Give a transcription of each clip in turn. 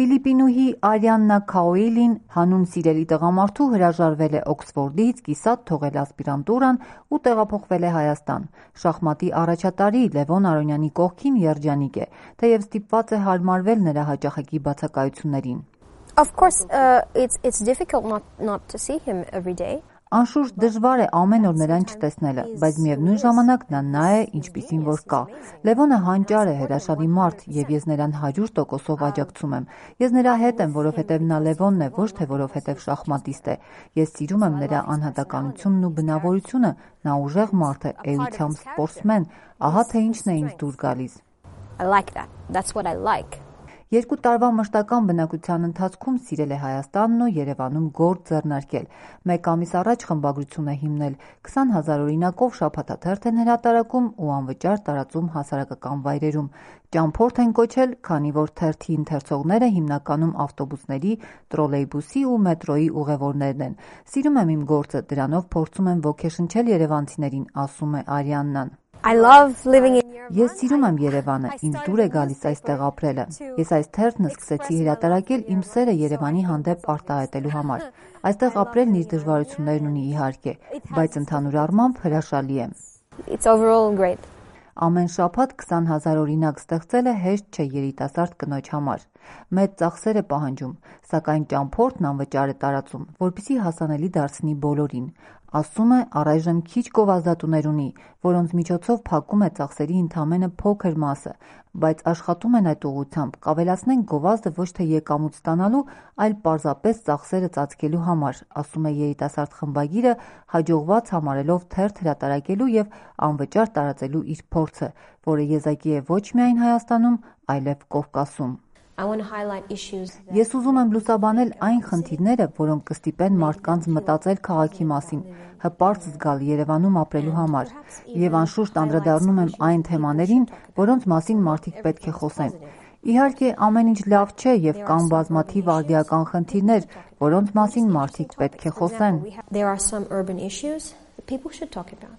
Ֆիլիպինուհի Արիաննա Քաոիլին հանուն սիրելի տղամարդու հրաժարվել է Օքսֆորդից, կիսատ թողել ասպիրանտուրան ու տեղափոխվել է Հայաստան։ Շախմատի առաջատարի Լևոն Արոնյանի կողքին երջանիկ է, թեև ստիպված է հարմարվել նրա հաճախակի բացակայություններին։ Of course, it's difficult not to see him every day. Անշուշտ դժվար է ամեն օր նրան չտեսնելը, բայց միևնույն ժամանակ նա է, ինչպիսին որ կա։ Լևոնը հանճար է, հրաշալի մարդ, եւ ես նրան 100%-ով աջակցում եմ։ Ես նրա հետ եմ, որովհետեւ նա Լևոնն է, ոչ թե որովհետեւ շախմատիստ է։ Ես սիրում եմ նրա անհատականությունն ու բնավորությունը, նա ուժեղ մարդ է, էությամբ սպորտսմեն, ահա թե ինչն է ինձ դուր գալիս։ I like that. That's what I like. 2 տարվա մշտական բնակության ընթացքում սիրել է Հայաստանն ու Երևանում գործ ձեռնարկել։ 1 ամիս առաջ խմբագրություն է հիմնել, 20,000 օրինակով շաբաթաթերթ են հրատարակում ու անվճար տարածում հասարակական վայրերում։ Ճամփորդ են կոչել, քանի որ թերթի ընթերցողները հիմնականում ավտոբուսների, տրոլեյբուսի ու մետրոյի ուղևորներն են։ Սիրում եմ իմ գործը, դրանով փորձում եմ ոգեշնչել երևանցիներին, ասում է Արիաննան։ I love living in your Ես սիրում եմ Երևանը, ինձ դուր է գալիս այստեղ ապրելը։ Ես այս թերթն սկսեցի հրատարակել իմ սերը Երևանի հանդեպ արտահայտելու համար։ Այստեղ ապրելն իր դժվարություններն ունի իհարկե, բայց ընդհանուր առմամբ հրաշալի է։ It's overall great. Ամեն շաբաթ 20,000 օրինակ ստեղծելը հեշտ չէ երիտասարդ կնոջ համար։ Մեծ ծախսեր է պահանջում, սակայն ճամփորդն անվճար է տարածում, որպեսզի հասանելի դարձնի բոլորին։ Ասում է, առայժմ քիչ գովազդատուներ ունի, որոնց միջոցով փակում է ծախսերի ընդամենը փոքր մասը, բայց աշխատում են այդ ուղղությամբ, կավելացնենք գովազդը ոչ թե եկամուտ ստանալու, այլ պարզապես ծախսերը ծածկելու համար, ասում է երիտասարդ խմբագիրը, հաջողված համարելով թերթ հրատարակելու եւ անվճար տարածելու իր փորձը, որը եզակի է ոչ միայն Հայաստանում, այլև Կովկասում։ I want to highlight issues that Ես ուզում եմ լուսաբանել այն խնդիրները, որոնք կստիպեն մարդկանց մտածել քաղաքի մասին, հպարտ զգալ Երևանում ապրելու համար, եւ անշուշտ անդրադառնում եմ այն թեմաներին, որոնց մասին մարդիկ պետք է խոսեն։ Իհարկե, ամեն ինչ լավ չէ եւ կան բազմաթիվ արդիական խնդիրներ, որոնց մասին մարդիկ պետք է խոսեն։ there are some urban issues that people should talk about.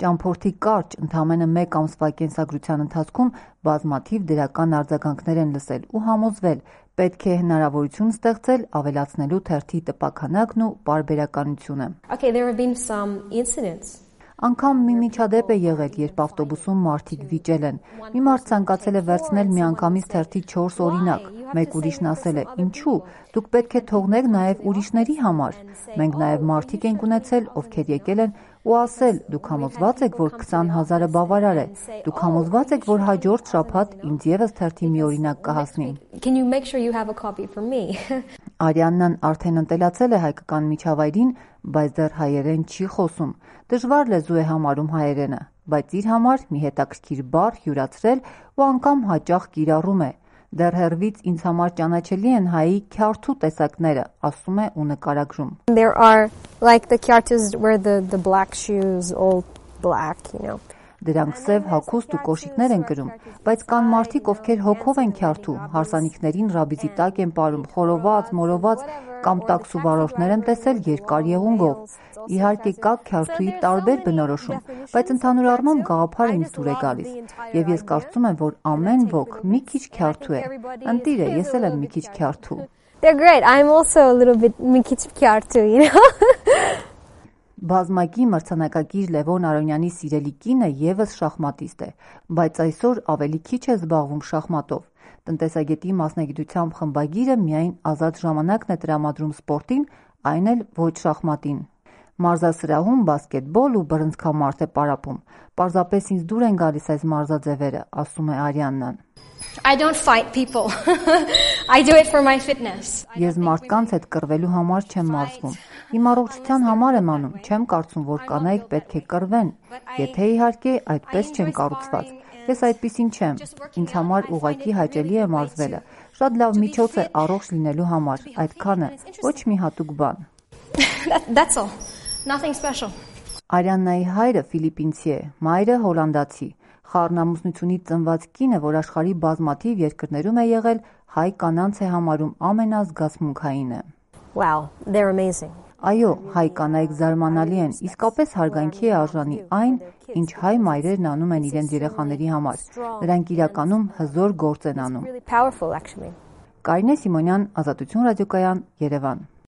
Ճամփորդի կարճ, ընդամենը 1 ամսվա կենսագրության ընթացքում բազմաթիվ դրական արձագանքներ են լսել ու համոզվել, պետք է հնարավորություն ստեղծել ավելացնելու թերթի տպաքանակն ու պարբերականությունը։ Okay, there have been some incidents. Անգամ մի միջադեպ է եղել, երբ ավտոբուսում մարդիկ վիճել են։ Մի մարդ ցանկացել է վերցնել միանգամից թերթի 4 օրինակ։ Մեկ ուրիշն ասել է. «Ինչու՞, դուք պետք է թողնեք նաև ուրիշների համար»։ Մենք նաև մարդիկ ենք ունեցել, ովքեր եկել են ու ասել. «Դուք համոզված եք, որ 20,000-ը բավարար է։ Դուք համոզված եք, որ հաջորդ շաբաթ ինձ եւս թերթի մի օրինակ կհասնի»։ Can you make sure you have a copy for me? Արիաննան արդեն ընտելացել է հայկական միջավայրին, բայց դեռ հայերեն չի խոսում։ Դժվար լեզու է համարում հայերենը, բայց իր համար մի հետաքրքիր բառ յուրացրել ու անգամ հաճախ կիրառում է։ Դեռ հեռվից ինձ համար ճանաչելի են հայի քյարթու տեսակները, ասում է ու նկարագրում։ There are like the characters where the black shoes, all black, you know. Դրանք սև հագուստ ու կոշիկներ են կրում, բայց կան մարդիկ, ովքեր հոգով են քյարթու, հարսանիքներին ռաբիզի տակ են պարում, խորոված, մորոված կամ տաքսու վարորդներ եմ տեսել երկար եղունգով։ Իհարկե կա քյարթուի տարբեր բնորոշում, բայց ընդհանուր առմամբ գաղափարը ինձ դուր է գալիս, եւ ես կարծում եմ, որ ամեն ոք մի քիչ քյարթու է։ Ընտիր է, ես էլ եմ մի քիչ քյարթու։ They're great. I'm also a little bit մի քիչ քյարթու, you know. Բազմակի մրցանակակիր Լևոն Արոնյանի սիրելի կինը եւս շախմատիստ է, բայց այսօր ավելի քիչ է զբաղվում շախմատով։ Տնտեսագետի մասնագիտությամբ խմբագիրը միայն ազատ ժամանակն է տրամադրում սպորտին, այն էլ ոչ շախմատին։ Մարզասրահում բասկետբոլ ու բռնցքամարտ է պարապում։ Պարզապես ինձ դուր են գալիս այս մարզաձևերը, ասում է Արիաննան։ I don't fight people. I do it for my fitness. Ես մարդկանց հետ կռվելու համար չեմ մարզվում։ Իմ առողջության համար եմ անում, չեմ կարծում, որ կանայք պետք է կռվեն, եթե իհարկե այդպես չեն կառուցված։ Ես այդպիսին չեմ։ Ինձ համար ուղղակի հաճելի է մարզվելը։ Շատ լավ միջոց է առողջ լինելու համար, այդքանը, ոչ մի հատուկ բան։ That's all. Nothing special. Արիաննայի հայրը ֆիլիպինցի է, մայրը հոլանդացի։ Խառնամուսնությունից ծնված կինը, որ աշխարհի բազմաթիվ երկրներում է եղել, հայ կանանց է համարում ամենազգացմունքայինը։ Wow, they're amazing. Այո, հայ կանայք զարմանալի են, իսկապես հարգանքի է արժանի այն, ինչ հայ մայրերն անում են իրենց երեխաների համար։ Նրանք իրականում հզոր գործ են անում։ Really powerful actually. Կարինե Սիմոնյան, Ազատություն ռադիոկայան, Երևան։